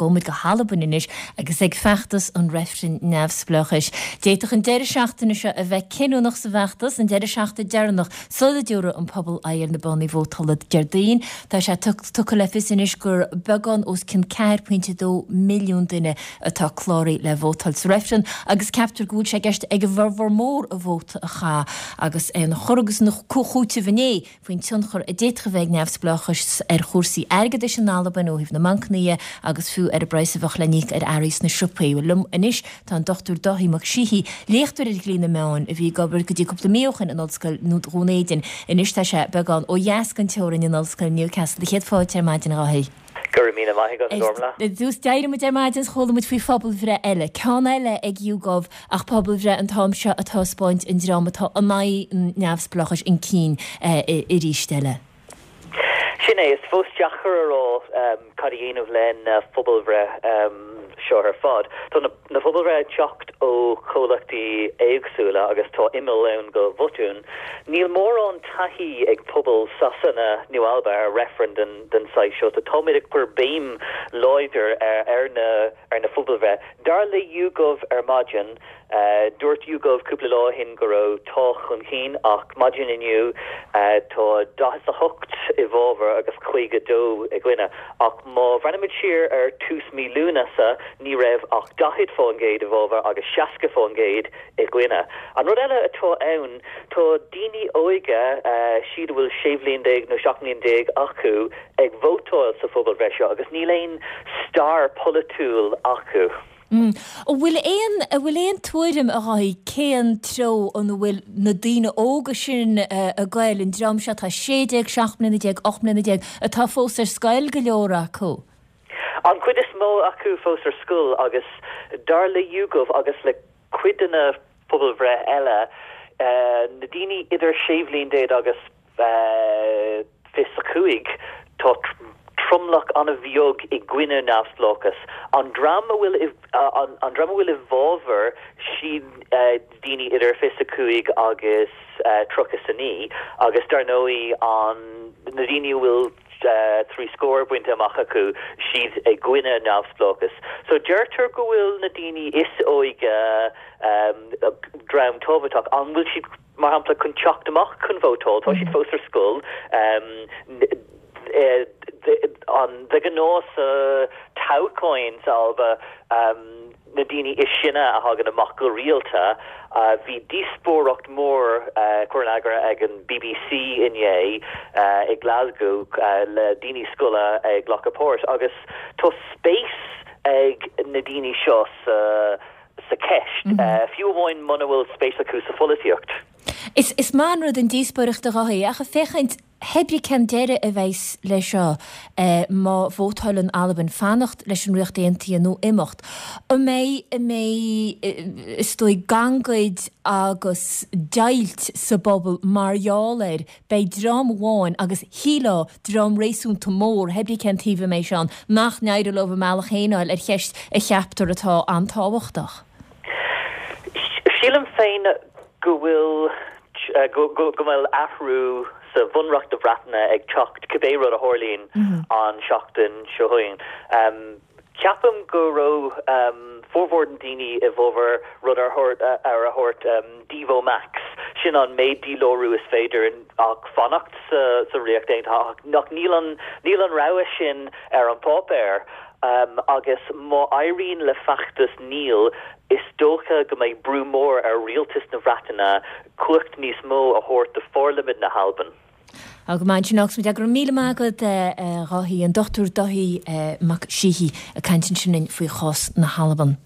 gabhfaidh muid go hAlbain anois agus ag feachtas an reifrinn neamhspleáchais. D'fhéadfadh an deireadh seachtaine seo a bheith cinniúnach sa bhfeachtas, an deireadh seachtaine deireanach sula dtabharfaidh an pobal aghaidh ar na boscaí vótála Déardaoin. Tá sé tugtha le fios anois gur beagán os cionn 4.2 milliún duine atá cláraithe le vótáil sa reifreann agus ceaptar go bhfuil sé i gceist ag a bhformhór mór a vóta a chaitheamh agus é ina chur agus ina chúiteamh inné faoin tionchar a d'fhéadfadh a bheith ag neamhspleáchas ar chúrsaí airgeadais in Albain ó thaobh na mbancanna dhe agus fiú ar an bpraghas a bheadh le n-íoc ar earraí sna siopaí. Bhuel, liom anois tá an Dr Dáithí Mac Síthigh, léachtóir ar dhlí na meán a bhí ag obair go dtí cúpla mí ó shin in Ollscoil Dhún Éideann. Anois tá sé beagán ó dheas den teorainn in Ollscoil Newcastle. Céad fáilte ar maidin, a Dháithí. Go raibh míle maith agat, a Ghormfhlaith. Ar dtús, d'éirigh muid ar maidin is chuala muid faoi phobalbhreith eile, ceann eile ag YouGov ach pobalbhreith an t-am seo ag taispeáint an dream atá in aghaidh an neamhspleáchais chun cinn arís eile. Sin é, is fós deacair a rá cad a dhéanamh le na phobalbhreith seo ar fad. Tá na phobalbhreith ag teacht ó chomhlachtaí éagsúla agus tá imeall ann do bhotúin. Níl mórán taithí ag pobal Sasana nó Alba ar reifreann den den saghas seo, so táimid ag cur béim láidir ar na ar na phobalbhreith. Dar le YouGov ar maidin, dúirt YouGov cúpla lá ó shin go raibh Tá chun cinn ach maidin inniu tá 48 i bhfabhar agus 52 i gcoinne. Ach má bhreathnaímid siar ar tús mí Lúnasa ní raibh ach 40% i bhfabhar agus 60% i gcoinne. An rud eile atá ann, tá daoine óige, siad a bhfuil 16 bhliain nó 17 mbliain acu, ag vótáil sa phobalbhreith seo agus níl aon stair pholaitiúil acu. An bhfuil aon, an bhfuil aon tuairim, a Dháithí, cén treo ina bhfuil na daoine óga sin ag goil, an dream seo atá 16, 17 mbliana, 18 mbliana, atá fós ar scoil, go leor acu? An chuid is mó acu fós ar scoil agus dar le YouGov agus le cuid de na pobalbhreith eile, na daoine idir 16 bhliain agus 25, tá tromlach an-bheag i gcoinne neamhspleáchas. An dream a bhfuil an dream a bhfuil i bhfabhar, siad daoine idir 25 agus 39 agus dar ndóigh an na daoine a bhfuil 3 scór bainte amach acu, siad i gcoinne neamhspleáchas. So deirtear go bhfuil na daoine is óige dream tábhachtach. An bhfuil siad, mar shampla, chun teacht amach chun vótáil? Tá siad fós ar scoil. De ghnáth sa toghcháin sa Alba, na daoine is sine a thagann amach go rialta. Bhí díospóireacht mór cuir in eagar ag an bbc inné i Glasgow le daoine scoile ag glacadh páirt agus tá spéis ag na daoine seo sa sa cheist, fiú amháin muna bhfuil spéis acu sa pholaitíocht. Is maith an rud an díospóireacht a Dháithí, ach ag féachaint Pé brí cén deireadh a bheas leis seo má vótáileann Albain fanacht leis an Ríocht Aontaithe nó imeacht, an mbeidh, an mbeidh, is dóigh, gangaid agus deighilt sa bpobal mar gheall air? Beidh dream amháin, agus shílfeá dream réasúnta mór, pé brí cén taobh a mbeidh sé ann, nach n-éireoidh leo a mbealach féin a fháil ar cheist a cheaptar atá an-tábhachtach. Sílim féin go bhfuil go bhfuil athrú sa Bhunreacht na Breataine ag teacht cibé rud a tharlaíonn an seachtain seo chugainn. Ceapaim go raibh formhór na daoine i bhfabhar rud ar a thabhairt Devo Max, sin an méid dílárú is féidir ach fanacht sa Ríocht Aontaithe ach níl an níl an rogha sin ar an pháipéar agus má éiríonn le feachtas Níl Is dócha go mbeidh brú mór ar rialtas na Breataine cumhacht níos mó a thabhairt do pharlaimint na hAlban. Tá go maith ansin agus go raibh míle maith agat a Dháithí, an Dr Dáithí Mac Síthigh ag caint ansin linn faoi chás na hAlban.